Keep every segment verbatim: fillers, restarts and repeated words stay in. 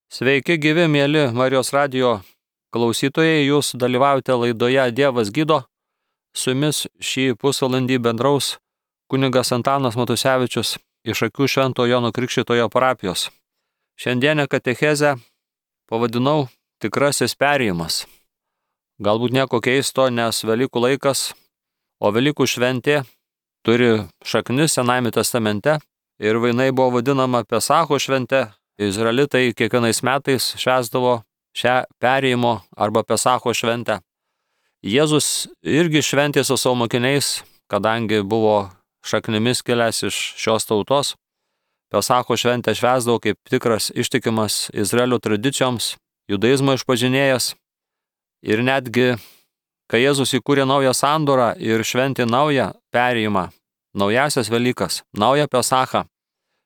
Sveiki gyvi, mėly Marijos radijo klausytojai, jūs dalyvaujate laidoje Dievas gydo. Su jumis šį pusvalandį bendraus kunigas Antanas Matusevičius iš Akių Švento Jono Krikštytojo parapijos. Šiandienę katechezę pavadinau Tikrasis perėjimas. Galbūt nieko keisto, nes Velykų laikas, o Velykų šventė turi šaknis Senajame testamente ir jinai buvo vadinama Pesacho švente. Izraelitai kiekvienais metais švęsdavo šią perėjimo arba Pesacho šventę. Jėzus irgi šventė su savo mokiniais, kadangi buvo šaknimis kilęs iš šios tautos. Pesacho šventę švęsdavo kaip tikras ištikimas Izraelio tradicijoms, judaizmo išpažinėjas. Ir netgi, kai Jėzus įkūrė naują sandorą ir šventė naują perėjimą, naujasias Velykas, naują Pesachą,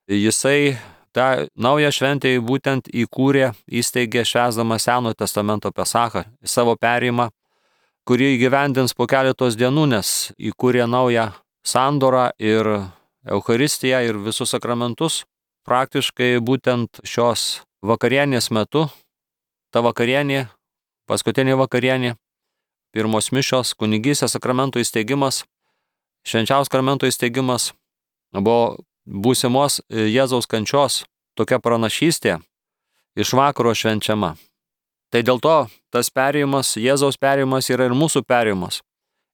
jisai tą naują šventę būtent įkūrė, įsteigė švęsdama Senojo testamento Pesachą, savo perėjimą, kurį įgyvendins po keletos dienų, nes įkūrė naują sandorą ir Eucharistiją ir visus sakramentus. Praktiškai būtent šios vakarienės metu, ta vakarienė, paskutinė vakarienė, pirmos mišios, kunigystės sakramento įsteigimas, švenčiausio sakramento įsteigimas buvo būsimos Jėzaus kančios tokia pranašystė iš vakaro švenčiama. Tai dėl to tas perėjimas, Jėzaus perėjimas yra ir mūsų perėjimas.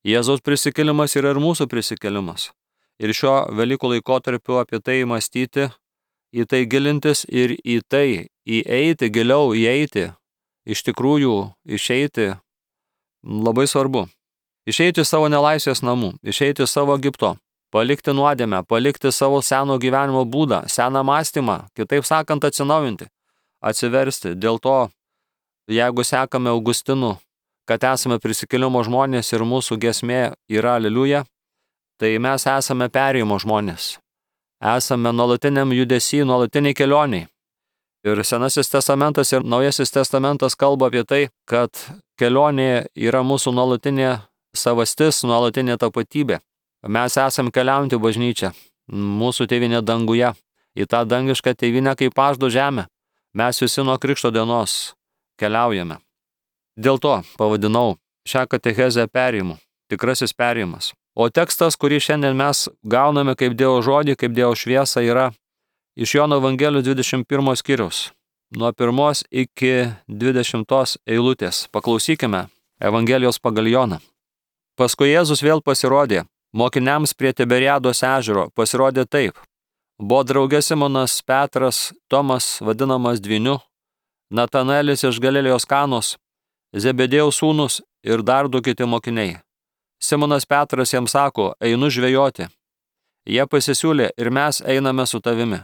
Jėzaus prisikėlimas yra ir mūsų prisikėlimas. Ir šiuo Velykų laikotarpiu apie tai mąstyti, į tai gilintis ir į tai įeiti, giliau įeiti, iš tikrųjų išeiti, labai svarbu. Išeiti savo nelaisvės namų, išeiti savo Egipto. Palikti nuodėmę, palikti savo seno gyvenimo būdą, seną mąstymą, kitaip sakant, atsinaujinti, atsiversti. Dėl to, jeigu sekame Augustinu, kad esame prisikėlimo žmonės ir mūsų giesmė yra Aleliuja, tai mes esame perėjimo žmonės. Esame nuolatiniam judesy, nuolatiniai kelioniai. Ir Senasis testamentas ir Naujasis testamentas kalba apie tai, kad kelionė yra mūsų nuolatinė savastis, nuolatinė tapatybė. Mes esam keliaujantį bažnyčią, mūsų tėvynė danguje, į tą dangišką tėvynę kaip pažado žemę. Mes visi nuo Krikšto dienos keliaujame. Dėl to pavadinau šią katechezę perėjimu, tikrasis perėjimas. O tekstas, kurį šiandien mes gauname kaip Dievo žodį, kaip Dievo šviesą, yra iš Jono Evangelijos dvidešimt pirmo skyriaus, nuo pirmos iki dvidešimtos eilutės. Paklausykime Evangelijos pagal Joną. Paskui Jėzus vėl pasirodė mokiniams prie Tiberiados ežero, pasirodė taip. Buvo drauge Simonas Petras, Tomas, vadinamas Dvyniu, Natanaelis iš Galilėjos Kanos, Zebedėjaus sūnus ir dar du kiti mokiniai. Simonas Petras jiems sako, einu žvejoti. Jie pasisiūlė ir mes einame su tavimi.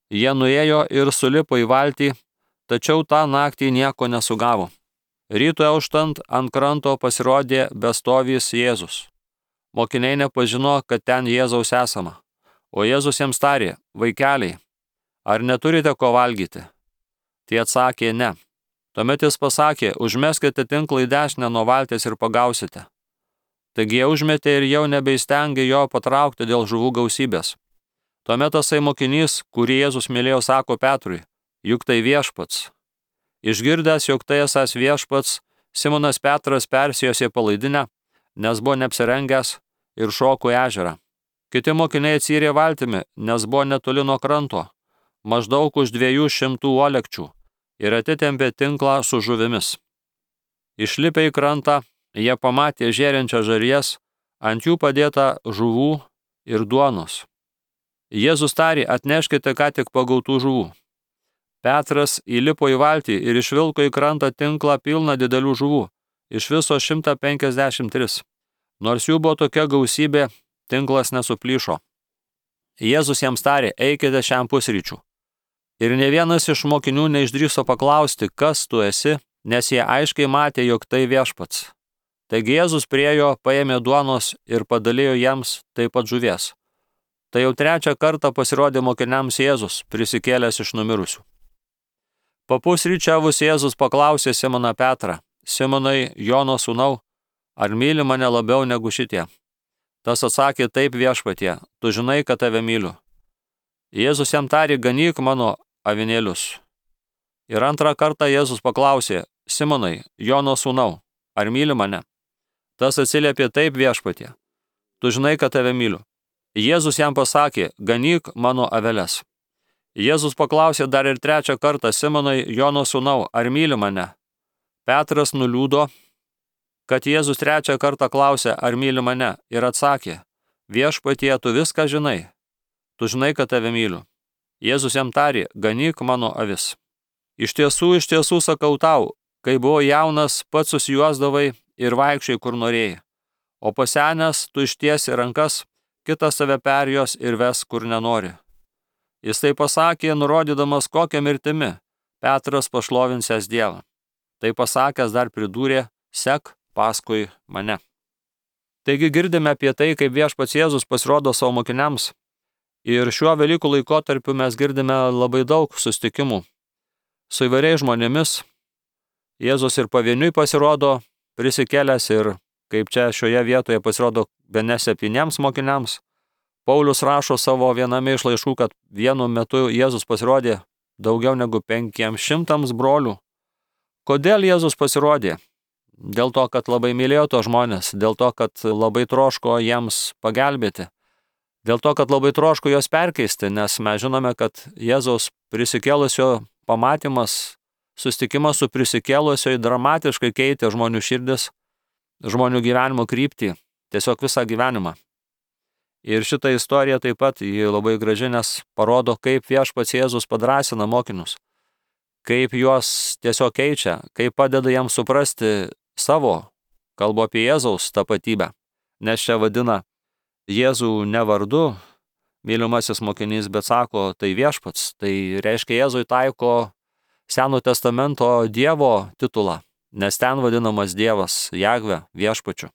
Jie nuėjo ir sulipo į valtį, tačiau tą naktį nieko nesugavo. Rytui auštant ant kranto pasirodė bestovys Jėzus. Mokiniai nepažino, kad ten Jėzaus esama. O Jėzus jiems tarė, vaikeliai, ar neturite ko valgyti? Tie atsakė, ne. Tuomet jis pasakė, užmeskite tinklą į dešinę nuo valties ir pagausite. Taigi jie užmetė ir jau nebeįstengė jo patraukti dėl žuvų gausybės. Tuomet tasai mokinys, kurį Jėzus mylėjo, sako Petrui, juk tai viešpats. Išgirdęs, jog tai esąs viešpats, Simonas Petras persijosė palaidinę, nes buvo neapsirengęs ir šoko į ežerą. Kiti mokiniai atsirė valtimi, nes buvo netoli nuo kranto, maždaug už dviejų šimtų uolekčių, ir atitempė tinklą su žuvimis. Išlipę į krantą, jie pamatė žėrinčią žarijas, ant jų padėta žuvų ir duonos. Jėzus tarė, atneškite ką tik pagautų žuvų. Petras įlipo į valtį ir išvilko į krantą tinklą pilną didelių žuvų, iš viso šimtą penkiasdešimt tris. Nors jų buvo tokia gausybė, tinklas nesuplyšo. Jėzus jiems tarė, eikite šiam pusryčių. Ir ne vienas iš mokinių neišdrįso paklausti, kas tu esi, nes jie aiškiai matė, jog tai viešpats. Taigi Jėzus priėjo, paėmė duonos ir padalijo jiems taip pat žuvies. Tai jau trečią kartą pasirodė mokiniams Jėzus, prisikėlęs iš numirusių. Papusryčiavus Jėzus paklausė Simoną Petrą, Simonai, Jono sūnau, ar myli mane labiau negu šitie? Tas atsakė, taip viešpatie, tu žinai, kad tave myliu. Jėzus jam tarė, ganyk mano avinėlius. Ir antrą kartą Jėzus paklausė: Simonai, Jono sūnau, ar myli mane? Tas atsiliepė: Taip, viešpatie, tu žinai, kad tave myliu. Jėzus jam pasakė: Ganyk mano aveles. Jėzus paklausė dar ir trečią kartą: Simonai, Jono sūnau, ar myli mane? Petras nuliūdo, kad Jėzus trečią kartą klausė, ar myli mane, ir atsakė: Viešpatie, tu viską žinai, tu žinai, kad tave myliu. Jėzus jam tarė: Ganyk mano avis. Iš tiesų, iš tiesų sakau tau, kai buvai jaunas, pats susijuosdavai ir vaikščiai, kur norėjai, o pasenęs tu ištiesi rankas, kitas tave perjos ir ves, kur nenori. Jis tai pasakė, nurodydamas, kokią mirtimi Petras pašlovinsęs Dievą. Tai pasakęs dar pridūrė: Sek paskui mane. Taigi girdime apie tai, kaip viešpats Jėzus pasirodo savo mokiniams. Ir šiuo Velykų laikotarpiu mes girdime labai daug susitikimų su įvairiais žmonėmis. Jėzus ir pavieniui pasirodo prisikėlęs, ir kaip čia šioje vietoje pasirodo bene septyniems mokiniams. Paulius rašo savo viename iš laiškų, kad vienu metu Jėzus pasirodė daugiau negu penkiems šimtams brolių. Kodėl Jėzus pasirodė? Dėl to, kad labai mylėjo tos žmonės, dėl to, kad labai troško jiems pagelbėti, dėl to, kad labai troško juos perkeisti, nes mes žinome, kad Jėzaus prisikėlusio pamatymas, susitikimas su prisikėlusio dramatiškai keitė žmonių širdis, žmonių gyvenimo kryptį, tiesiog visą gyvenimą. Ir šitą istoriją taip pat ji labai graži, nes parodo, kaip viešpats Jėzus padrąsina mokinius, kaip juos tiesiog keičia, kaip padeda jiems suprasti savo, kalbu apie Jėzaus tapatybę, nes čia vadina Jėzų ne vardu mylimasis mokinys, bet sako, tai viešpats, tai reiškia Jėzui taiko Seno testamento Dievo titulą, nes ten vadinamas Dievas Jahve, viešpačiu.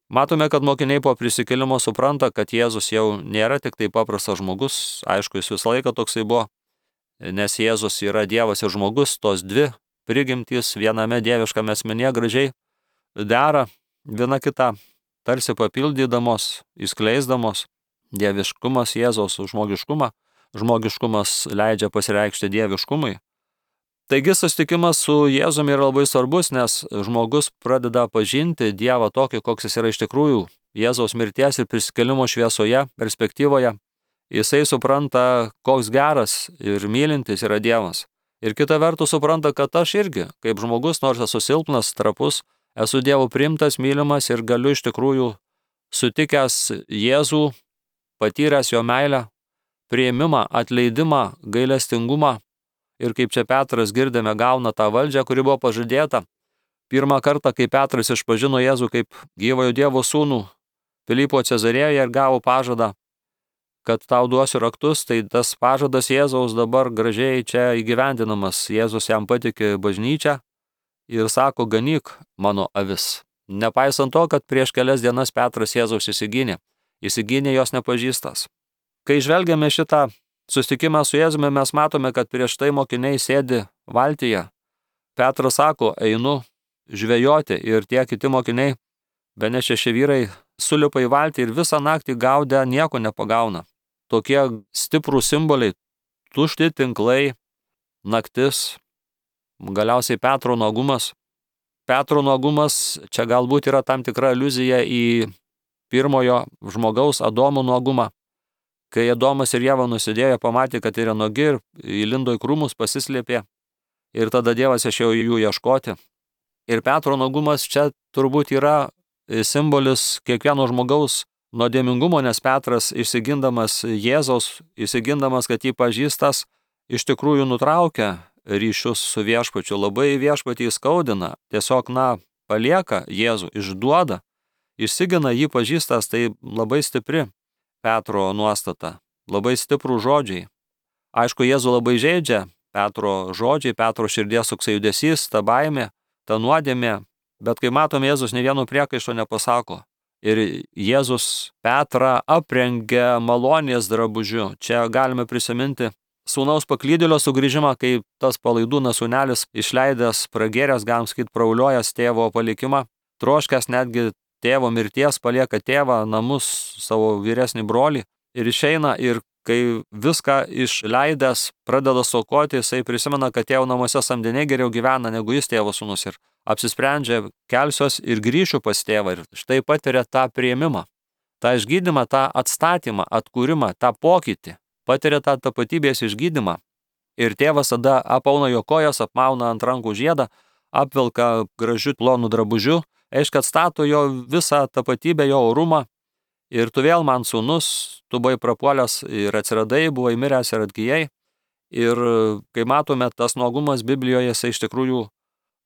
Matome, kad mokiniai po prisikėlimo supranta, kad Jėzus jau nėra tik tai paprastas žmogus, aišku, jis visą laiką toksai buvo, nes Jėzus yra Dievas ir žmogus, tos dvi prigimtys viename dieviškame asmenyje gražiai dera viena kitą, tarsi papildydamos, įskleisdamos dieviškumas Jėzaus žmogiškumą, žmogiškumas leidžia pasireikšti dieviškumui. Taigi susitikimas su Jėzumi yra labai svarbus, nes žmogus pradeda pažinti Dievą tokį, koks jis yra iš tikrųjų, Jėzaus mirties ir prisikėlimo šviesoje, perspektyvoje. Jisai supranta, koks geras ir mylintis yra Dievas. Ir kita vertus supranta, kad aš irgi, kaip žmogus, nors esu silpnas, trapus, esu Dievo priimtas, mylimas ir galiu iš tikrųjų sutikęs Jėzų, patyręs jo meilę, priėmimą, atleidimą, gailestingumą. Ir kaip čia Petras girdėme, gauna tą valdžią, kuri buvo pažadėta. Pirmą kartą, kai Petras išpažino Jėzų kaip gyvojo Dievo sūnų Filipo Cezarėjoje ir gavo pažadą, kad tau duosiu raktus, tai tas pažadas Jėzaus dabar gražiai čia įgyvendinamas. Jėzus jam patikė bažnyčią ir sako, ganyk mano avis. Nepaisant to, kad prieš kelias dienas Petras Jėzaus įsigynė, įsigynė jos nepažįstas. Kai žvelgiame šitą susitikimą su Jėzumi, mes matome, kad prieš tai mokiniai sėdi valtyje. Petras sako, einu žvejoti, ir tie kiti mokiniai, bene šeši vyrai, sulipa į valtį ir visą naktį gaudę nieko nepagauna. Tokie stiprūs simboliai, tušti tinklai, naktis, galiausiai Petro nuogumas. Petro nuogumas čia galbūt yra tam tikra aliuzija į pirmojo žmogaus Adomo nuogumą. Kai Adomas ir Ieva nusidėjo, pamatė, kad yra nuogi ir įlindo į krūmus, pasislėpė. Ir tada Dievas išėjo jų ieškoti. Ir Petro nuogumas čia turbūt yra simbolis kiekvieno žmogaus nuodėmingumo, nes Petras išsigindamas Jėzaus, išsigindamas, kad jį pažįstas, iš tikrųjų nutraukia ryšius su viešpačiu. Labai viešpatį įskaudina, tiesiog, na, palieka Jėzų, išduoda, išsigina jį pažįstas, tai labai stipri Petro nuostata, labai stiprų žodžiai. Aišku, Jėzų labai žeidžia Petro žodžiai, Petro širdies toksai judesys, ta baimė, ta nuodėmė, bet kai matome, Jėzus ne vieno priekaišto nepasako. Ir Jėzus Petrą aprengia malonės drabužiu. Čia galime prisiminti sūnaus paklydėlio sugrįžimą, kai tas palaidūnas sūnelis išleidęs, pragėręs, galim sakyti, prauliojęs tėvo palikimą, troškęs netgi tėvo mirties, palieka tėvą, namus, savo vyresnį brolį ir išeina, ir kai viską išleidęs pradeda stokoti, jisai prisimena, kad tėvo namuose samdiniai geriau gyvena negu jis tėvo sūnus ir apsisprendžia, kelsiuos ir grįšiu pas tėvą ir štai patiria tą priėmimą, tą išgydymą, tą atstatymą, atkūrimą, tą pokytį, patiria tą tapatybės išgydymą. Ir tėvas tada apauna jo kojas, apmauna ant rankų žiedą, apvilka gražiu plonu drabužiu, aiškiai atstato jo visą tapatybę, jo orumą. Ir tu vėl man sūnus, tu buvai prapuolęs ir atsiradai, buvai miręs ir atgyjai. Ir kai matome, tas nuogumas Biblijoje, jisai iš tikrųjų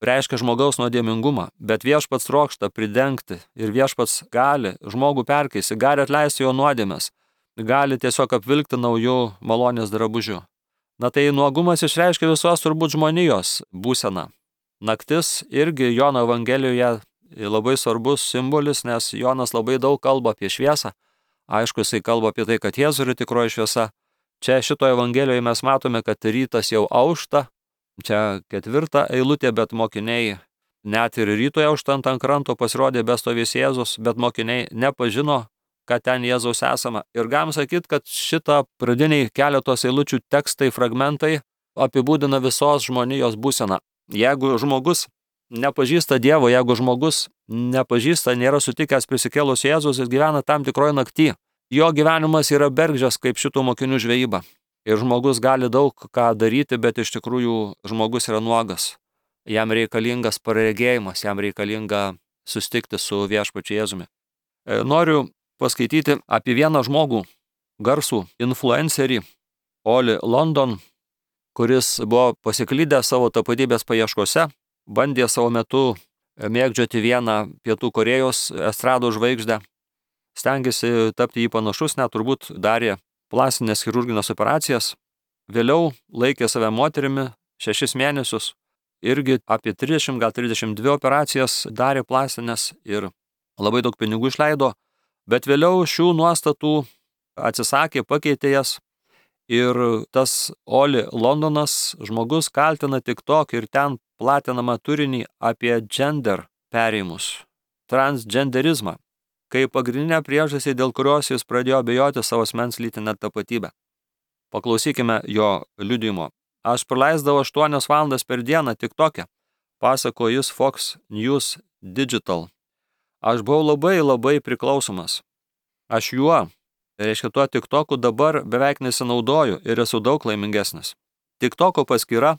reiškia žmogaus nuodėmingumą, bet viešpats trokšta pridengti ir viešpats gali žmogų perkeisti, gali atleisti jo nuodėmes, gali tiesiog apvilkti naujų malonės drabužių. Na tai nuogumas išreiškia visos turbūt žmonijos būseną. Naktis irgi Jono Evangelijoje labai svarbus simbolis, nes Jonas labai daug kalba apie šviesą. Aišku, jisai kalba apie tai, kad Jėzus yra tikroji šviesa. Čia šitoje Evangelijoje mes matome, kad rytas jau aušta. Čia ketvirta eilutė, bet mokiniai net ir rytoje auštant ant kranto pasirodė bestovės Jėzus, bet mokiniai nepažino, kad ten Jėzaus esama. Ir galim sakyti, kad šitą pradiniai keletos eilučių tekstai, fragmentai apibūdina visos žmonijos būseną. Jeigu žmogus nepažįsta Dievo, jeigu žmogus nepažįsta, nėra sutikęs prisikėlus Jėzus ir gyvena tam tikroje nakty, jo gyvenimas yra bergždžias kaip šitų mokinių žvejyba. Ir žmogus gali daug ką daryti, bet iš tikrųjų žmogus yra nuogas. Jam reikalingas praregėjimas, jam reikalinga susitikti su viešpačiu Jėzumi. Noriu paskaityti apie vieną žmogų, garsų influencerį, Oli London, kuris buvo pasiklydęs savo tapatybės paieškose, bandė savo metu mėgdžioti vieną Pietų Korėjos estrado žvaigždę, stengėsi tapti jį panašus, net turbūt darė plastinės chirurginės operacijas, vėliau laikė save moterimi šešis mėnesius, irgi apie trisdešimt, gal trisdešimt dvi operacijas darė plastinės ir labai daug pinigų išleido, bet vėliau šių nuostatų atsisakė, pakeitė jas ir tas Oli Londonas žmogus kaltina TikTok ir ten platinamą turinį apie gender perėjimus, transgenderizmą, kaip pagrindinę priežastį, dėl kurios jis pradėjo abejoti savo asmens lytinę tapatybę. Paklausykime jo liudijimo. Aš praleisdavau aštuonias valandas per dieną TikTok'e, pasako jis Fox News Digital. Aš buvau labai labai priklausomas. Aš juo, reiškia tuo TikTok'u dabar beveik nesinaudoju ir esu daug laimingesnis. TikTok'o paskyra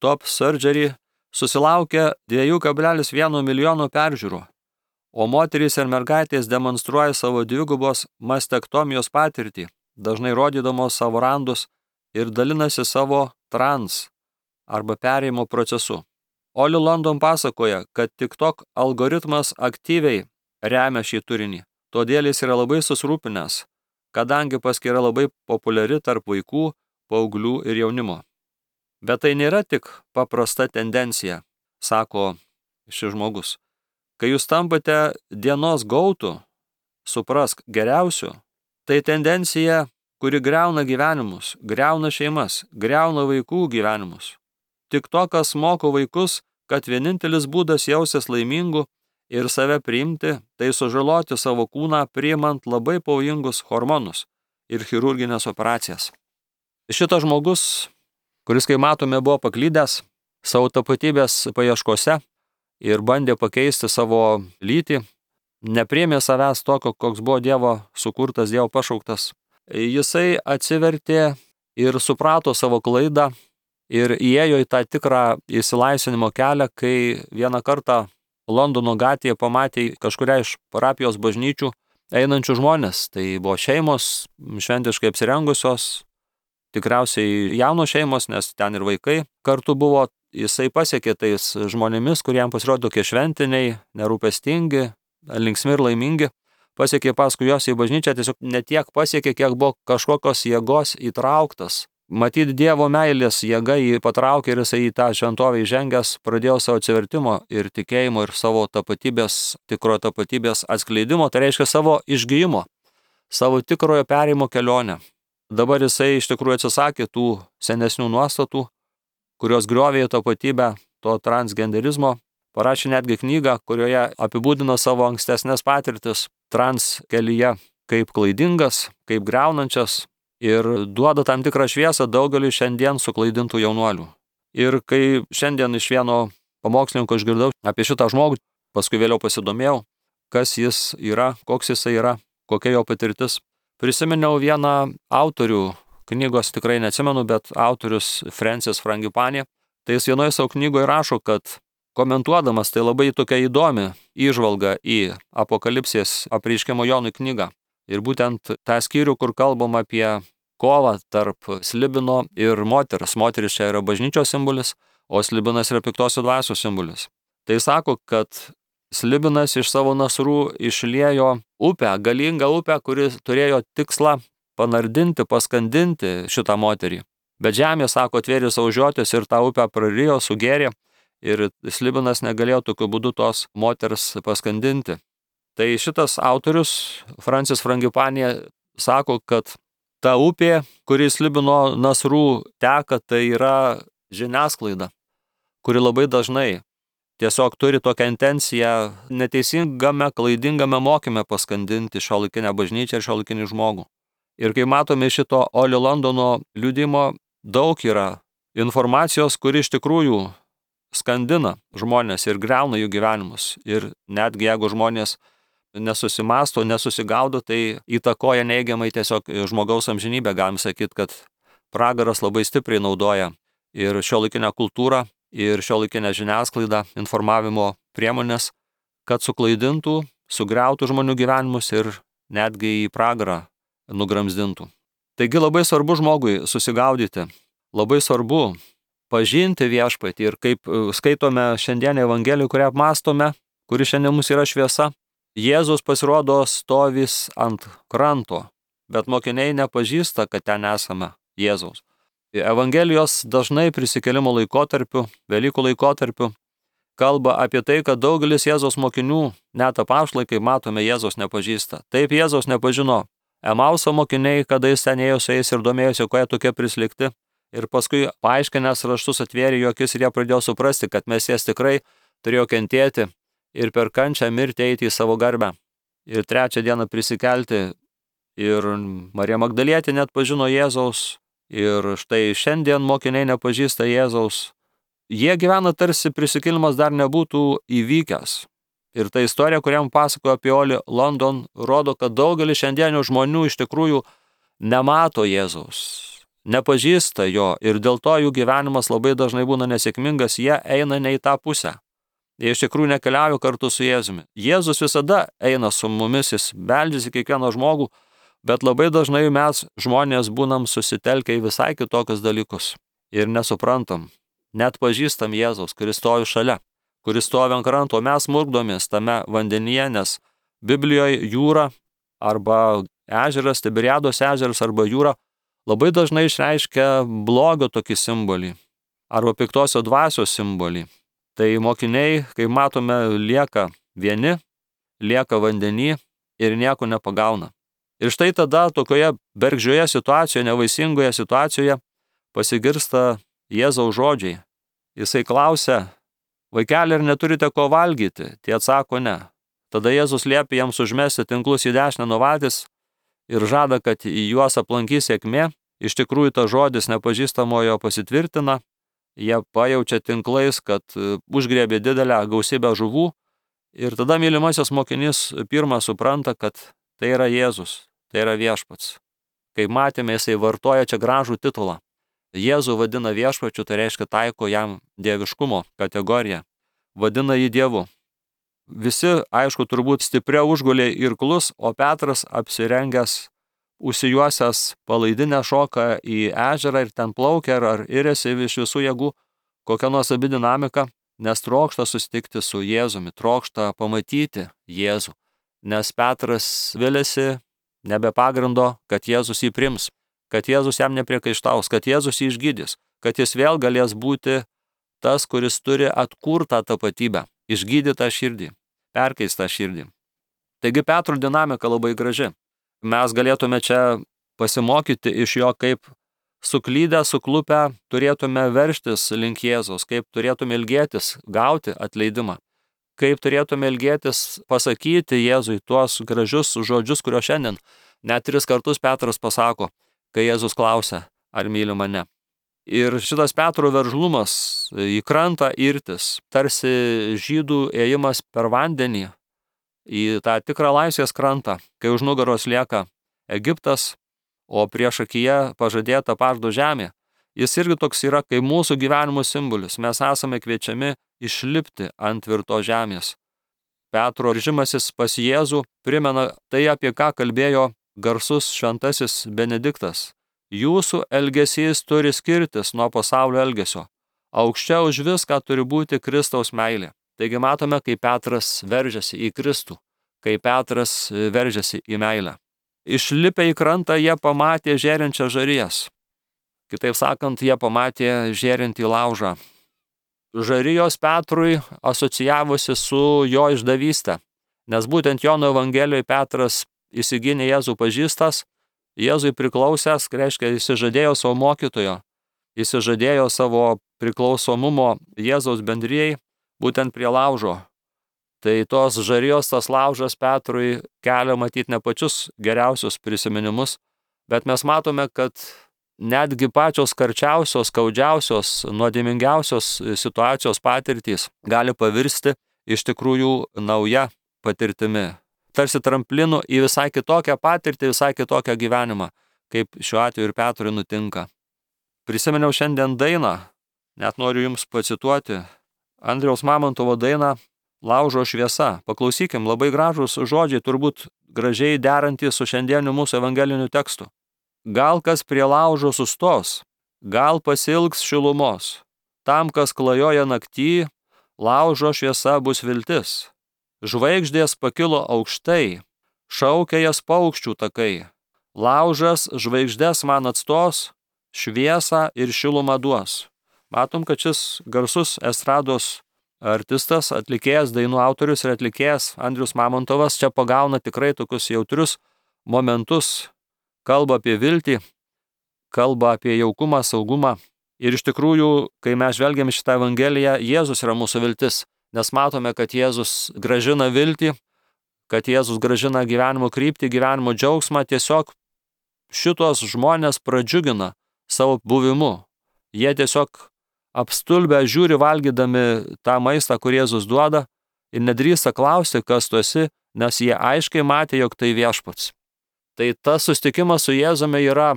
Top Surgery susilaukė dviejų kablelis vieno milijono peržiūrų, o moterys ir mergaitės demonstruoja savo dvigubos mastektomijos patirtį, dažnai rodydamos savo randus ir dalinasi savo trans arba perėjimo procesu. Oli London pasakoja, kad TikTok algoritmas aktyviai remia šį turinį, todėl jis yra labai susirūpinęs, kadangi paskyra labai populiari tarp vaikų, paauglių ir jaunimo. Bet tai nėra tik paprasta tendencija, sako šis žmogus. Kai jūs tampate dienos gautų, suprask geriausiu, tai tendencija, kuri greuna gyvenimus, greuna šeimas, greuna vaikų gyvenimus. TikTokas moko vaikus, kad vienintelis būdas jausis laimingu ir save priimti, tai sužaloti savo kūną priimant labai pavojingus hormonus ir chirurginės operacijas. Šitas žmogus, kuris, kai matome, buvo paklydęs savo tapatybės paieškose ir bandė pakeisti savo lytį, nepriėmė savęs tokio, koks buvo Dievo sukurtas, Dievo pašauktas. Jisai atsivertė ir suprato savo klaidą ir įėjo į tą tikrą įsilaisvinimo kelią, kai vieną kartą Londono gatvėje pamatė kažkuria iš parapijos bažnyčių einančių žmonės. Tai buvo šeimos, šventiškai apsirengusios, tikriausiai jaunos šeimos, nes ten ir vaikai kartu buvo. Jisai pasiekė tais žmonėmis, kuriems pasirodė tokie šventiniai, nerūpestingi, linksmi ir laimingi. Pasiekė paskui jos į bažnyčią, tiesiog ne tiek pasiekė, kiek buvo kažkokios jėgos įtrauktas. Matyt, Dievo meilės jėga jį patraukė ir jisai į tą šventovę įžengęs pradėjo savo atsivertimo ir tikėjimo ir savo tapatybės, tikrojo tapatybės atskleidimo, tai reiškia savo išgijimo, savo tikrojo perėjimo kelionę. Dabar jisai iš tikrųjų atsisakė tų senesnių nuostatų, kurios griovė tapatybę to transgenderizmo, parašė netgi knygą, kurioje apibūdino savo ankstesnės patirtis trans kelyje kaip klaidingas, kaip greunančias, ir duoda tam tikrą šviesą daugeliui šiandien suklaidintų jaunuolių. Ir kai šiandien iš vieno pamokslininko išgirdau apie šitą žmogų, paskui vėliau pasidomėjau, kas jis yra, koks jisai yra, kokia jo patirtis. Prisiminiau vieną autorių, knygos tikrai neatsimenu, bet autorius Francis Frangipani. Tai jis vienoje savo knygoje rašo, kad komentuodamas tai labai tokia įdomi įžvalga į Apokalipsės apreiškimo Jonui knygą. Ir būtent tą skyrių, kur kalbam apie kovą tarp slibino ir moters. Moteris čia yra bažnyčios simbolis, o slibinas yra piktosios dvasios simbolis. Tai sako, kad slibinas iš savo nasrų išliejo upę, galingą upę, kuri turėjo tikslą panardinti, paskandinti šitą moterį. Bet žemė, sako, atvėrė savo žiotis ir tą upę prarijo, sugerė ir slibinas negalėjo tokiu būdu tos moters paskandinti. Tai šitas autorius, Francis Frangipani, sako, kad ta upė, kuri slibino nasrų teka, tai yra žiniasklaida, kuri labai dažnai tiesiog turi tokią intenciją neteisingame, klaidingame mokyme paskandinti šiuolaikinę bažnyčią ir šiuolaikinį žmogų. Ir kai matome šito Oli Londono liudimo, daug yra informacijos, kuri iš tikrųjų skandina žmonės ir greuna jų gyvenimus. Ir netgi jeigu žmonės nesusimasto, nesusigaudo, tai įtakoja neigiamai tiesiog žmogaus amžinybę. Galim sakyti, kad pragaras labai stipriai naudoja ir šiuolaikinę kultūrą, ir šiuolaikinę žiniasklaidą, informavimo priemonės, kad suklaidintų, sugriautų žmonių gyvenimus ir netgi į pragarą nugramzdintų. Taigi labai svarbu žmogui susigaudyti, labai svarbu pažinti viešpatį ir kaip skaitome šiandien Evangeliją, kurią apmąstome, kuri šiandien mums yra šviesa, Jėzus pasirodo stovis ant kranto, bet mokiniai nepažįsta, kad ten esame Jėzaus. Evangelijos dažnai prisikėlimo laikotarpiu, Velykų laikotarpiu, kalba apie tai, kad daugelis Jėzaus mokinių, net apaštalai, kaip matome, Jėzaus nepažįsta. Taip Jėzaus nepažino Emauso mokiniai, kada jis ten ėjo su jais ir domėjosi, ko jie tokie prislėgti. Ir paskui paaiškinęs raštus atvėrė jų akis ir jie pradėjo suprasti, kad Mesijas tikrai turėjo kentėti ir per kančią mirti eiti į savo garbę. Ir trečią dieną prisikelti. Ir Marija Magdalietė net pažino Jėzaus. Ir štai šiandien mokiniai nepažįsta Jėzaus. Jie gyvena tarsi prisikėlimas dar nebūtų įvykęs. Ir ta istorija, kuriam pasakojo apie Oli London, rodo, kad daugelis šiandienių žmonių iš tikrųjų nemato Jėzaus, nepažįsta jo ir dėl to jų gyvenimas labai dažnai būna nesėkmingas, jie eina ne į tą pusę. Jie iš tikrųjų nekeliauja kartu su Jėzumi. Jėzus visada eina su mumis, jis beldžiasi kiekvieną žmogų, bet labai dažnai mes žmonės būnam susitelkę į visai kitokius dalykus ir nesuprantam, net pažįstam Jėzaus, kuris stovi šalia, kuris stovi ant kranto, mes murkdomės tame vandenyje, nes Biblijoje jūra arba ežeras, Tiberiados ežeras arba jūra labai dažnai išreiškia blogio tokį simbolį arba piktosios dvasios simbolį. Tai mokiniai, kaip matome, lieka vieni, lieka vandenį ir nieko nepagauna. Ir štai tada tokioje bergždžioje situacijoje, nevaisingoje situacijoje pasigirsta Jėzaus žodžiai. Jisai klausia: vaikeli, ar neturite ko valgyti? Tie atsako ne. Tada Jėzus liepia jiems užmesti tinklus į dešinę nuo valties ir žada, kad į juos aplankys sėkmė. Iš tikrųjų, tas žodis nepažįstamojo pasitvirtina. Jie pajaučia tinklais, kad užgriebė didelę gausybę žuvų. Ir tada mylimasis mokinys pirmas supranta, kad tai yra Jėzus, tai yra viešpats. Kaip matėme, jisai vartoja čia gražų titulą. Jėzų vadina viešpačiu, tai reiškia taiko jam dieviškumo kategoriją. Vadina jį Dievu. Visi, aišku, turbūt stipriau užgulė irklus, o Petras apsirengęs, užsijuosęs palaidinę šoka į ežerą ir ten plaukia ar irėsi iš visų jėgų, kokia nuostabi dinamika, nes trokšta susitikti su Jėzumi, trokšta pamatyti Jėzų, nes Petras viliasi nebe pagrindo, kad Jėzus jį priims, kad Jėzus jam nepriekaištaus, kad Jėzus jį išgydys, kad jis vėl galės būti tas, kuris turi atkurtą tapatybę, išgydytą širdį, perkeistą širdį. Taigi Petro dinamika labai graži. Mes galėtume čia pasimokyti iš jo, kaip suklydę, suklupę turėtume verštis link Jėzaus, kaip turėtume ilgėtis gauti atleidimą, kaip turėtume ilgėtis pasakyti Jėzui tuos gražius žodžius, kurio šiandien net tris kartus Petras pasako, kai Jėzus klausia, ar myli mane. Ir šitas Petro veržlumas į krantą irtis, tarsi žydų ėjimas per vandenį į tą tikrą laisvės krantą, kai už nugaros lieka Egiptas, o prieš akyje pažadėta pažado žemė. Jis irgi toks yra kaip mūsų gyvenimo simbolis. Mes esame kviečiami išlipti ant tvirtos žemės. Petro grįžimasis pas Jėzų primena tai, apie ką kalbėjo garsus šventasis Benediktas. Jūsų elgesys turi skirtis nuo pasaulio elgesio. Aukščiau už viską turi būti Kristaus meilė. Taigi matome, kaip Petras veržiasi į Kristų, kaip Petras veržiasi į meilę. Išlipę į krantą jie pamatė žėrinčią žarijas. Kitaip sakant, jie pamatė žėrintį laužą. Žarijos Petrui asocijavosi su jo išdavyste, nes būtent Jono Evangelijoje Petras įsigynė Jėzų pažįstas, Jėzui priklausęs, reiškia, įsižadėjo savo mokytojo, įsižadėjo savo priklausomumo Jėzaus bendrijai, būtent prie laužo. Tai tos žarijos, tas laužas Petrui kelia matyti ne pačius geriausius prisiminimus, bet mes matome, kad netgi pačios karčiausios, skaudžiausios, nuodėmingiausios situacijos patirtys gali pavirsti iš tikrųjų nauja patirtimi. Tarsi tramplinu į visai kitokią patirtį, visai kitokią gyvenimą, kaip šiuo atveju ir Petrui nutinka. Prisiminiau šiandien dainą, net noriu jums pacituoti, Andriaus Mamontovo dainą Laužo šviesa. Paklausykim, labai gražūs žodžiai, turbūt gražiai derantys su šiandieniu mūsų evangeliniu tekstu. Gal kas prie laužo sustos, gal pasilgs šilumos. Tam, kas klajoja naktį, laužo šviesa bus viltis. Žvaigždės pakilo aukštai, šaukia jas paukščių takai. Laužas žvaigždės man atstos, šviesą ir šilumą duos. Matom, kad šis garsus estrados artistas, atlikėjas, dainų autorius ir atlikėjas Andrius Mamontovas čia pagauna tikrai tokius jautrius momentus, kalba apie viltį, kalba apie jaukumą, saugumą. Ir iš tikrųjų, kai mes žvelgiam šitą Evangeliją, Jėzus yra mūsų viltis, nes matome, kad Jėzus gražina viltį, kad Jėzus gražina gyvenimo kryptį, gyvenimo džiaugsmą, tiesiog šitos žmonės pradžiugina savo buvimu. Jie tiesiog apstulbę žiūri valgydami tą maistą, kur Jėzus duoda ir nedrįsta klausti, kas tu esi, nes jie aiškiai matė, jog tai viešpats. Tai tas susitikimas su Jėzumi yra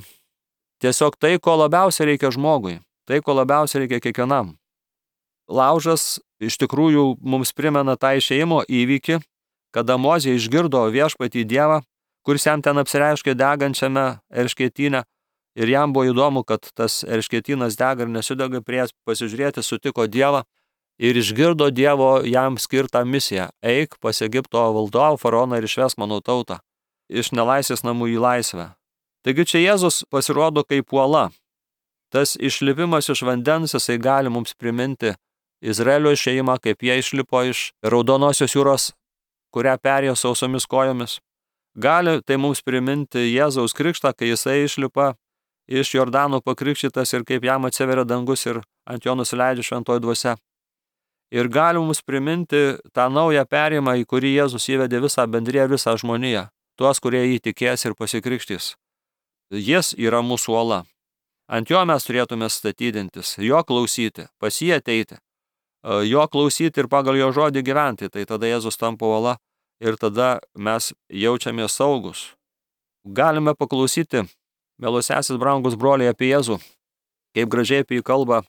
tiesiog tai, ko labiausiai reikia žmogui, tai, ko labiausiai reikia kiekvienam. Laužas iš tikrųjų mums primena tą išėjimo įvykį, kada Mozė išgirdo viešpatį Dievą, kuris jam ten apsireiškė degančiame erškėtyne. Ir jam buvo įdomu, kad tas erškėtynas dega ir nesudega, prie pasižiūrėti sutiko Dievą ir išgirdo Dievo jam skirtą misiją. Eik pas Egipto valdovą faraoną ir išvesk mano tautą iš nelaisvės namų į laisvę. Taigi čia Jėzus pasirodo kaip uola. Tas išlipimas iš vandens, jisai gali mums priminti Izraelio išėjimą, kaip jie išlipo iš Raudonosios jūros, kurią perėjo sausomis kojomis. Gali tai mums priminti Jėzaus krikštą, kai jisai išlipa iš Jordano pakrikštytas ir kaip jam atsiveria dangus ir ant jo nusileidžia šventoji dvasia. Ir gali mums priminti tą naują perėjimą, į kurį Jėzus įvedė visą bendriją, visą žmoniją, tuos, kurie jį tikės ir pasikrikštys. Jis yra mūsų uola. Ant jo mes turėtume statydintis, jo klausyti, pas jį ateiti, jo klausyti ir pagal jo žodį gyventi. Tai tada Jėzus tampa uola ir tada mes jaučiamės saugus. Galime paklausyti, mielosiasis brangus broliai, apie Jėzų, kaip gražiai apie jį kalba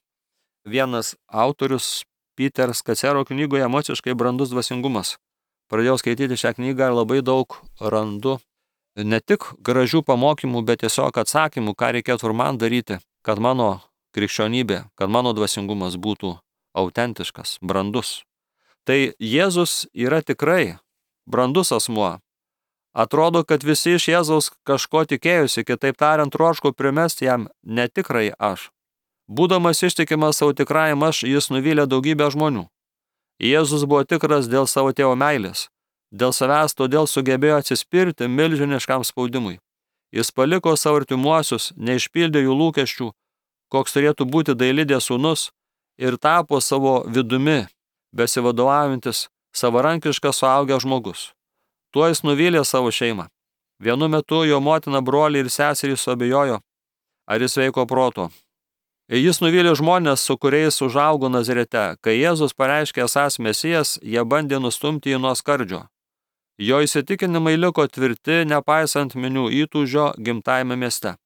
vienas autorius Peter Skacero knygoje Emociškai brandus dvasingumas. Pradėjau skaityti šią knygą ir labai daug randu ne tik gražių pamokymų, bet tiesiog atsakymų, ką reikėtų ir man daryti, kad mano krikščionybė, kad mano dvasingumas būtų autentiškas, brandus. Tai Jėzus yra tikrai brandus asmuo. Atrodo, kad visi iš Jėzaus kažko tikėjusi, kitaip tariant, troško primesti jam netikrai aš. Būdamas ištikimas savo tikrajam aš, jis nuvylė daugybę žmonių. Jėzus buvo tikras dėl savo tėvo meilės, dėl savęs todėl sugebėjo atsispirti milžiniškam spaudimui. Jis paliko savo artimuosius, neišpildė jų lūkesčių, koks turėtų būti dailidės sūnus, ir tapo savo vidumi, besivadovaujantis, savarankiškas suaugęs žmogus. Tuo jis nuvylė savo šeimą. Vienu metu jo motina, broliai ir seserys suabejojo, ar jis sveiko proto. Jis nuvylė žmonės, su kuriais užaugo Nazarete. Kai Jėzus pareiškė esąs Mesijas, jie bandė nustumti jį nuo skardžio. Jo įsitikinimai liko tvirti, nepaisant minių įtūžio gimtajame mieste.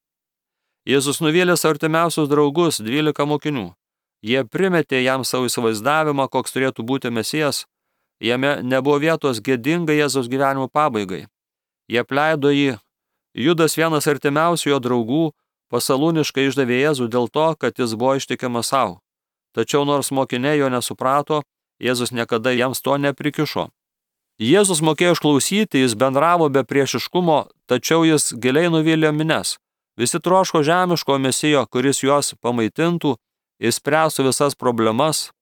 Jėzus nuvylė savo artimiausius draugus, dvylika mokinių. Jie primetė jam savo įsivaizdavimą, koks turėtų būti Mesijas. Jame nebuvo vietos gėdingai Jėzaus gyvenimo pabaigai. Jie apleido jį. Judas, vienas artimiausių jo draugų, pasalūniškai išdavė Jėzų dėl to, kad jis buvo ištikimas savo. Tačiau nors mokiniai jo nesuprato, Jėzus niekada jiems to neprikišo. Jėzus mokėjo išklausyti, jis bendravo be priešiškumo, tačiau jis giliai nuvylė mines. Visi troško žemiško Mesijo, kuris juos pamaitintų, išspręstų visas problemas,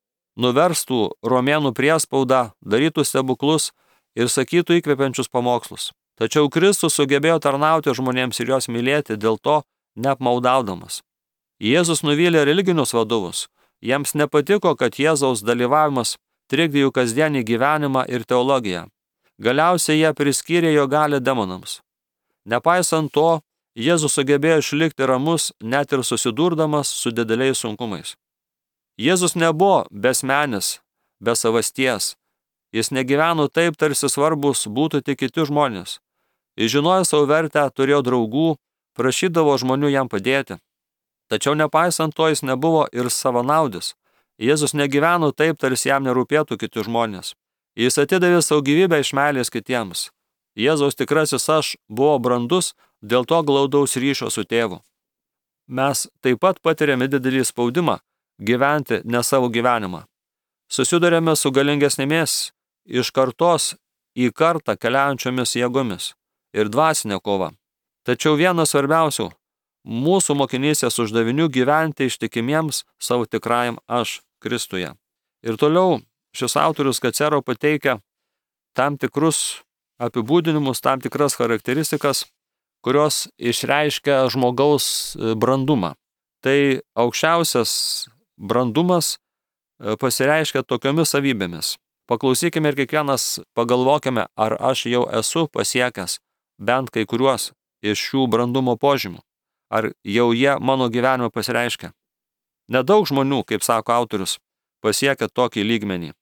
nuverstų romėnų priespaudą, darytų stebuklus ir sakytų įkvepiančius pamokslus. Tačiau Kristus sugebėjo tarnauti žmonėms ir juos mylėti, dėl to neapmaudaudamas. Jėzus nuvylė religinius vadovus. Jiems nepatiko, kad Jėzaus dalyvavimas trikdė jų kasdienį gyvenimą ir teologiją. Galiausiai jie priskyrė jo galią demonams. Nepaisant to, Jėzus sugebėjo išlikti ramus, net ir susidurdamas su dideliais sunkumais. Jėzus nebuvo besmenis, be savasties. Jis negyveno taip, tarsi svarbus būtų tik kiti žmonės. Jis žinojo savo vertę, turėjo draugų, prašydavo žmonių jam padėti. Tačiau nepaisant to, jis nebuvo ir savanaudis. Jėzus negyveno taip, tarsi jam nerūpėtų kiti žmonės. Jis atidavė savo gyvybę iš meilės kitiems. Jėzaus tikrasis aš buvo brandus, dėl to glaudaus ryšio su tėvu. Mes taip pat patiriame didelį spaudimą gyventi ne savo gyvenimą. Susidurėme su galingesnėmis iš kartos į kartą keliaujančiomis jėgomis ir dvasinė kova. Tačiau vienas svarbiausių mūsų mokinystės uždavinių gyventi ištikimiems savo tikrajam aš Kristuje. Ir toliau šis autorius Kacero pateikia tam tikrus apibūdinimus, tam tikras charakteristikas, kurios išreiškia žmogaus brandumą. Tai aukščiausias brandumas pasireiškia tokiomis savybėmis. Paklausykime ir kiekvienas pagalvokime, ar aš jau esu pasiekęs bent kai kuriuos iš šių brandumo požymių. Ar jau jie mano gyvenime pasireiškia. Nedaug žmonių, kaip sako autorius, pasiekia tokį lygmenį.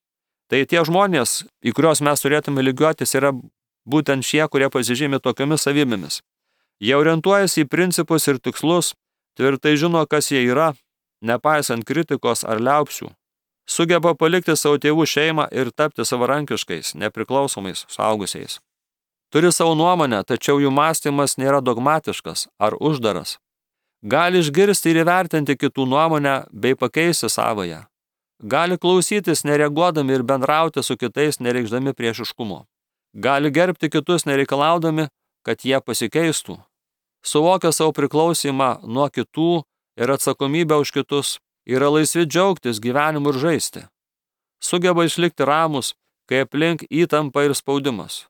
Tai tie žmonės, į kuriuos mes turėtume lygiuotis, yra būtent šie, kurie pasižymi tokiomis savybėmis. Jie orientuojasi į principus ir tikslus, tvirtai žino, kas jie yra, nepaisant kritikos ar liaupsių. Sugeba palikti savo tėvų šeimą ir tapti savarankiškais, nepriklausomais suaugusiais. Turi savo nuomonę, tačiau jų mąstymas nėra dogmatiškas ar uždaras. Gali išgirsti ir įvertinti kitų nuomonę bei pakeisti savąją. Gali klausytis nereaguodami ir bendrauti su kitais nereikšdami priešiškumo. Gali gerbti kitus nereikalaudami, kad jie pasikeistų. Suvokia savo priklausimą nuo kitų ir atsakomybę už kitus, yra laisvi džiaugtis gyvenimu ir žaisti. Sugeba išlikti ramus, kai aplink įtampa ir spaudimas.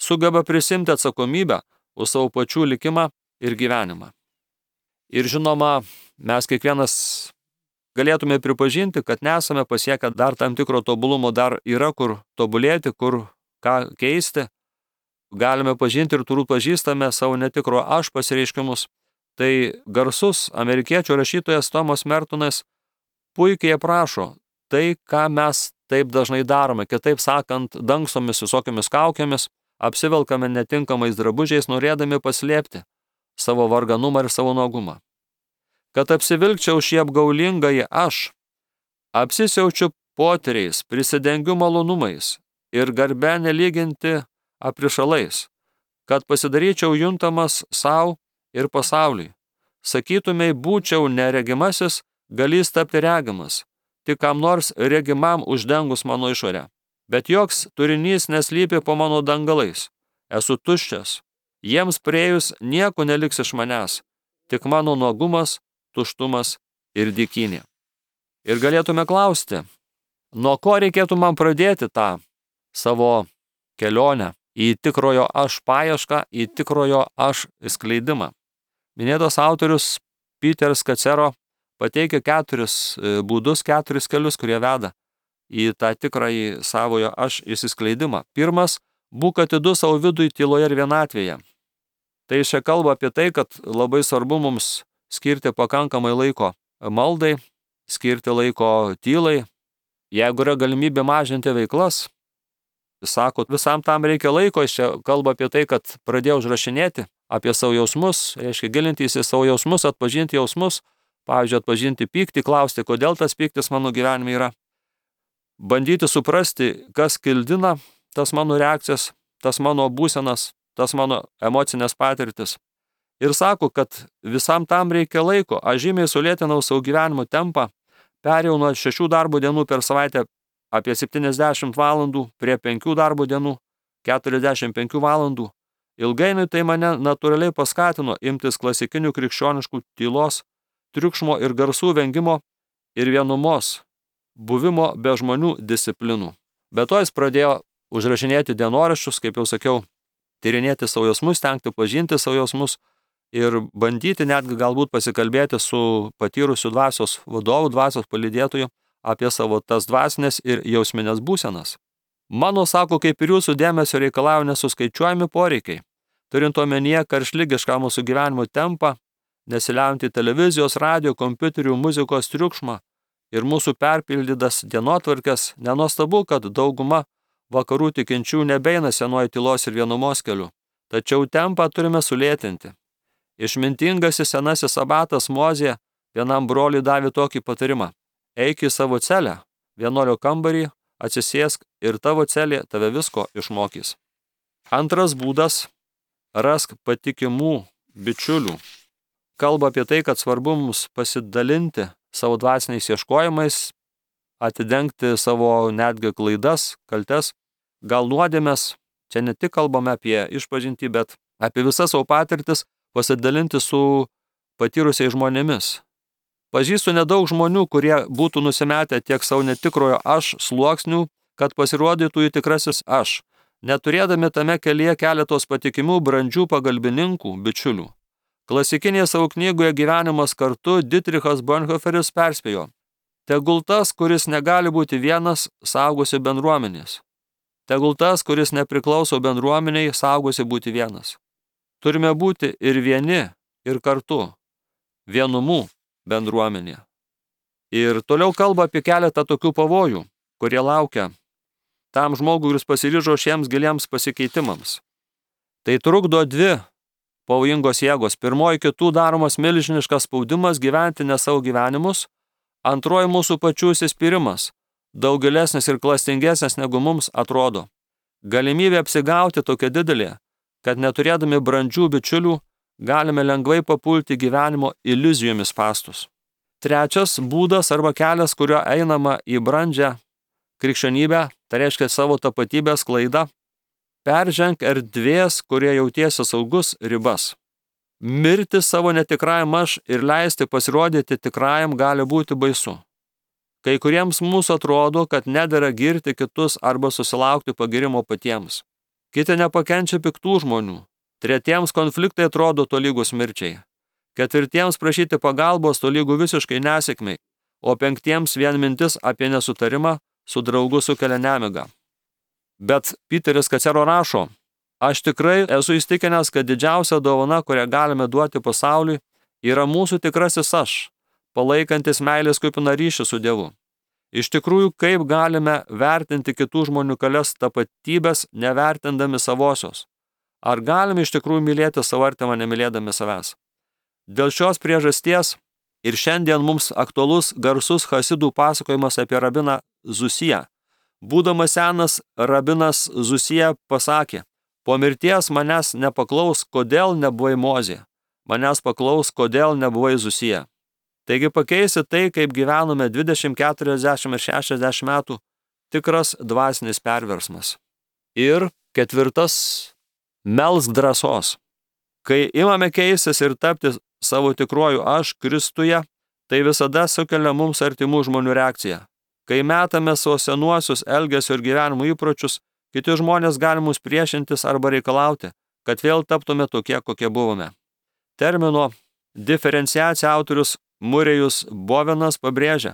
Sugeba prisimti atsakomybę už savo pačių likimą ir gyvenimą. Ir žinoma, mes kiekvienas galėtume pripažinti, kad nesame pasiekę dar tam tikro tobulumo, dar yra kur tobulėti, kur ką keisti. Galime pažinti ir turbūt pažįstame savo netikro aš pasireiškimus. Tai garsus amerikiečių rašytojas Tomas Mertonas puikiai aprašo tai, ką mes taip dažnai darome. Kitaip sakant, dangstomis visokiamis kaukėmis, apsivelkame netinkamais drabužiais, norėdami paslėpti savo varganumą ir savo nuogumą. Kad apsivilkčiau šį apgaulingąjį aš, apsisiaučiu potyriais, prisidengiu malonumais ir garbę nelyginti aprišalais, kad pasidaryčiau juntamas savo ir pasauliui. Sakytumei, būčiau neregimasis, galys tapti regimas, tik kam nors regimam uždengus mano išorę. Bet joks turinys neslypi po mano dangalais. Esu tuščias. Jiems priejus nieko neliks iš manęs, tik mano nuogumas, tuštumas ir dykynė. Ir galėtume klausti, nuo ko reikėtų man pradėti tą savo kelionę į tikrojo aš paiešką, į tikrojo aš skleidimą. Minėtas autorius Peteris Kacero pateikia keturis būdus, keturis kelius, kurie veda į tą tikrąjį savojo aš išsiskleidimą. Pirmas, būk atidus savo vidui tyloje ir vienatvėje. Tai čia kalba apie tai, kad labai svarbu mums skirti pakankamai laiko maldai, skirti laiko tylai. Jeigu yra galimybė mažinti veiklas, sako, visam tam reikia laiko, jis čia kalba apie tai, kad pradėjo užrašinėti apie savo jausmus, reiškia gilintis į savo jausmus, atpažinti jausmus, pavyzdžiui, atpažinti pyktį, klausti, kodėl tas pyktis mano gyvenime yra. Bandyti suprasti, kas kildina tas mano reakcijas, tas mano būsenas, tas mano emocinės patirtis. Ir sako, kad visam tam reikia laiko. Aš žymiai sulėtinau savo gyvenimo tempą, perėjau nuo šešių darbo dienų per savaitę apie septyniasdešimt valandų prie penkių darbo dienų, keturiasdešimt penkių valandų. Ilgainiui tai mane natūraliai paskatino imtis klasikinių krikščioniškų tylos, triukšmo ir garsų vengimo ir vienumos, buvimo be žmonių disciplinų. Be to jis pradėjo užrašinėti dienoraščius, kaip jau sakiau, tyrinėti savo jausmus, stengti pažinti savo jausmus ir bandyti netgi galbūt pasikalbėti su patyrusiu dvasios vadovu, dvasios palydėtoju apie savo tas dvasinės ir jausminės būsenas. Mano, sako, kaip ir jūsų dėmesio reikalauja nesuskaičiuojami poreikiai, turint omenyje karštligišką mūsų gyvenimo tempą, nesiliaujantį televizijos, radio, kompiuterių, muzikos triukšmą ir mūsų perpildytas dienotvarkes, nenuostabu, kad dauguma vakarų tikinčių nebeina senuoju tylos ir vienumos keliu, tačiau tempą turime sulėtinti. Išmintingasis senasis abatas Mozė vienam broliui davė tokį patarimą: eik į savo celę, vienuolio kambarį, atsisėsk ir tavo celė tave visko išmokys. Antras būdas – rask patikimų bičiulių. Kalba apie tai, kad svarbu mums pasidalinti savo dvasiniais ieškojimais, atidengti savo netgi klaidas, kaltes, gal nuodėmes. Čia ne tik kalbame apie išpažintį, bet apie visas savo patirtis pasidalinti su patyrusiais žmonėmis. Pažįstu nedaug žmonių, kurie būtų nusimetę tiek savo netikrojo aš sluoksnių, kad pasirodytų jų tikrasis aš, neturėdami tame kelyje keletos patikimų brandžių pagalbininkų, bičiulių. Klasikinėje savo knygoje Gyvenimas kartu Dietrichas Bonhoefferis perspėjo: tegul tas, kuris negali būti vienas, saugosi bendruomenės. Tegul tas, kuris nepriklauso bendruomeniai, saugosi būti vienas. Turime būti ir vieni, ir kartu, vienumų bendruomenė. Ir toliau kalba apie keletą tokių pavojų, kurie laukia tam žmogui, kuris pasiryžo šiems giliems pasikeitimams. Tai trukdo dvi pavojingos jėgos. Pirmoji, kitų daromas milžiniškas spaudimas gyventi ne savo gyvenimus. Antroji, mūsų pačių įsispyrimas, daug gilesnis ir klastingesnis negu mums atrodo. Galimybė apsigauti tokia didelė, kad neturėdami brandžių bičiulių galime lengvai papulti gyvenimo iliuzijomis spąstus. Trečias būdas arba kelias, kuriuo einama į brandžią krikščionybę, tai reiškia savo tapatybės klaidą, perženk erdvės, kurie jautiesi saugus, ribas. Mirti savo netikrajam aš ir leisti pasirodyti tikrajam gali būti baisu. Kai kuriems mūsų atrodo, kad nedera girti kitus arba susilaukti pagirimo patiems. Kiti nepakenčia piktų žmonių. Tretiems konfliktai atrodo tolygus mirčiai. Ketvirtiems prašyti pagalbos tolygų visiškai nesėkmei, o penktiems vien mintis apie nesutarimą su draugu sukelia nemigą. Bet Piteris Kacero rašo: aš tikrai esu įstikinęs, kad didžiausia dovana, kurią galime duoti pasauliui, yra mūsų tikrasis aš, palaikantis meilės kupiną ryšį su Dievu. Iš tikrųjų, kaip galime vertinti kitų žmonių kelias tapatybės, nevertindami savosios? Ar galime iš tikrųjų mylėti savo artimą, nemylėdami savęs? Dėl šios priežasties ir šiandien mums aktualus garsus chasidų pasakojimas apie rabiną Zusiją. Būdamas senas, rabinas Zusija pasakė: po mirties manęs nepaklaus, kodėl nebuvai Mozė, manęs paklaus, kodėl nebuvai Zusija. Taigi pakeisi tai, kaip gyvenome dvidešimt, keturiasdešimt ir šešiasdešimt metų, tikras dvasinis perversmas. Ir ketvirtas, melsk drąsos. Kai imame keistis ir tapti savo tikruoju aš Kristuje, tai visada sukelia mums artimų žmonių reakciją. Kai metame savo senuosius elgesio ir gyvenimo įpročius, kiti žmonės gali mus priešintis arba reikalauti, kad vėl taptume tokie, kokie buvome. Termino diferenciacija autorius Murėjus Bovenas pabrėžia,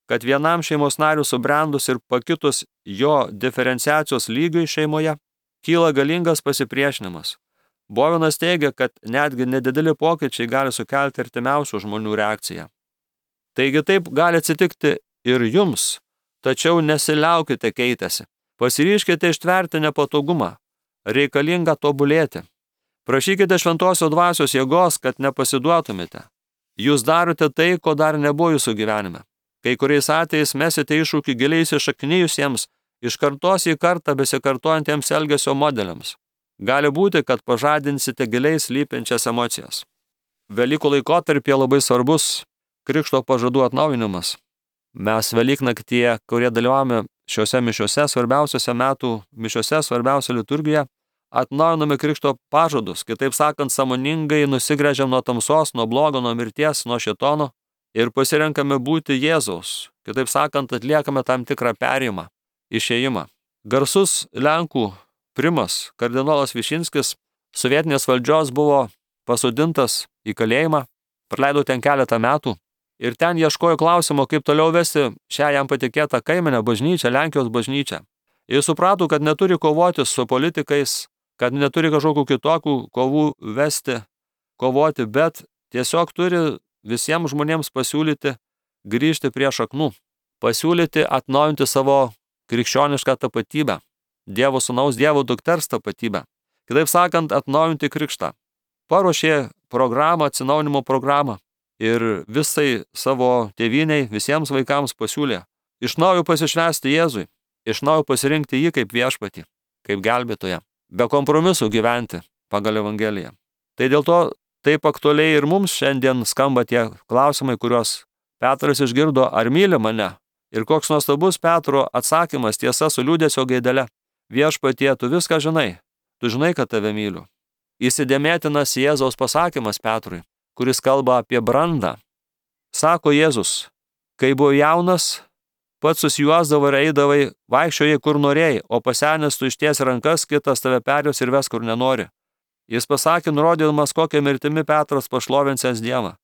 kad vienam šeimos narių subrendus ir pakitus jo diferenciacijos lygiui šeimoje, kyla galingas pasipriešinimas. Bovenas teigia, kad netgi nedideli pokyčiai gali sukelti artimiausių žmonių reakciją. Taigi taip gali atsitikti ir jums, tačiau nesiliaukite keitęsi. Pasiryžkite ištverti nepatogumą, reikalinga tobulėti. Prašykite šventosios dvasios jėgos, kad nepasiduotumėte. Jūs darote tai, ko dar nebuvo jūsų gyvenime. Kai kuriais atvejais mesite iššūkį giliai įsišaknijusiems, iš kartos į kartą besikartojantiems elgesio modeliams. Gali būti, kad pažadinsite giliai slypinčias emocijas. Velykų laikotarpyje labai svarbus krikšto pažadų atnaujinimas. Mes Velyknaktyje, kurie dalyvavome šiuose mišiuose, svarbiausiose metų mišiuose, svarbiausia liturgija, atnaujiname krikšto pažadus, kitaip sakant, sąmoningai nusigręžiam nuo tamsos, nuo blogo, nuo mirties, nuo šėtono ir pasirenkame būti Jėzaus. Kitaip sakant, atliekame tam tikrą perėjimą, išėjimą. Garsus Lenkų primas, kardinolas Višinskis, sovietinės valdžios buvo pasodintas į kalėjimą, praleido ten keletą metų ir ten ieškojo klausimo, kaip toliau vesti šią jam patikėtą kaiminę bažnyčią, Lenkijos bažnyčią. Jis suprato, kad neturi kovoti su politikais, kad neturi kažkokių kitokių kovų vesti, kovoti, bet tiesiog turi visiems žmonėms pasiūlyti grįžti prie šaknų, pasiūlyti atnaujinti savo krikščionišką tapatybę, Dievo sūnaus, Dievo dukters tapatybę. Kitaip sakant, atnaujinti krikštą. Paruošė programą, atsinaujinimo programą ir visai savo tėvyniai, visiems vaikams pasiūlė iš naujo pasišvęsti Jėzui, iš naujo pasirinkti jį kaip viešpatį, kaip gelbėtoją, be kompromisų gyventi pagal Evangeliją. Tai dėl to taip aktualiai ir mums šiandien skamba tie klausimai, kuriuos Petras išgirdo, ar myli mane? Ir koks nuostabus Petro atsakymas, tiesa su liūdesio gaidele. Viešpatie, tu viską žinai, tu žinai, kad tave myliu. Įsidėmėtinas Jėzaus pasakymas Petrui, kuris kalba apie brandą. Sako Jėzus, kai buvo jaunas, pats susijuosdavo ir eidavai, vaikščiojai kur norėjai, o pasenęs tu išties rankas, kitas tave perjos ir ves kur nenori. Jis pasakė, nurodydamas, kokią mirtimi Petras pašlovinsęs Dievą.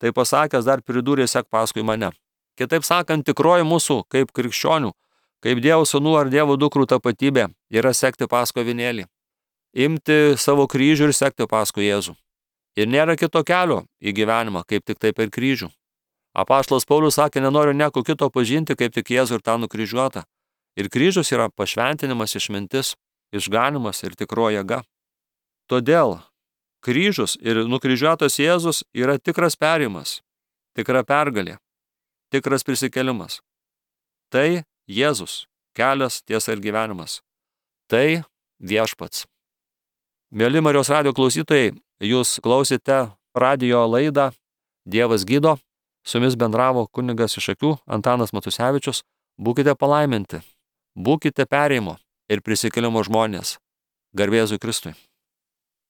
Tai pasakęs dar pridūrė, sek paskui mane. Kitaip sakant, tikroji mūsų kaip krikščionių, kaip Dievo sūnų ar Dievo dukrų tapatybė yra sekti paskui avinėlį. Imti savo kryžių ir sekti paskui Jėzų. Ir nėra kito kelio į gyvenimą, kaip tik taip per kryžių. Apaštalas Paulius sakė, nenoriu nieko kito pažinti, kaip tik Jėzų ir tą nukryžiuotą. Ir kryžius yra pašventinimas, išmintis, išganimas ir tikroji jėga. Todėl kryžius ir nukryžiuotas Jėzus yra tikras perėjimas, tikra pergalė, tikras prisikėlimas. Tai Jėzus, kelias, tiesa ir gyvenimas. Tai viešpats. Mėly Marijos radijo klausytojai, jūs klausite radijo laidą Dievas gydo. Su jumis bendravo kunigas iš Šakių Antanas Matusevičius. Būkite palaiminti, būkite perėjimo ir prisikėlimo žmonės. Garbė Jėzui Kristui.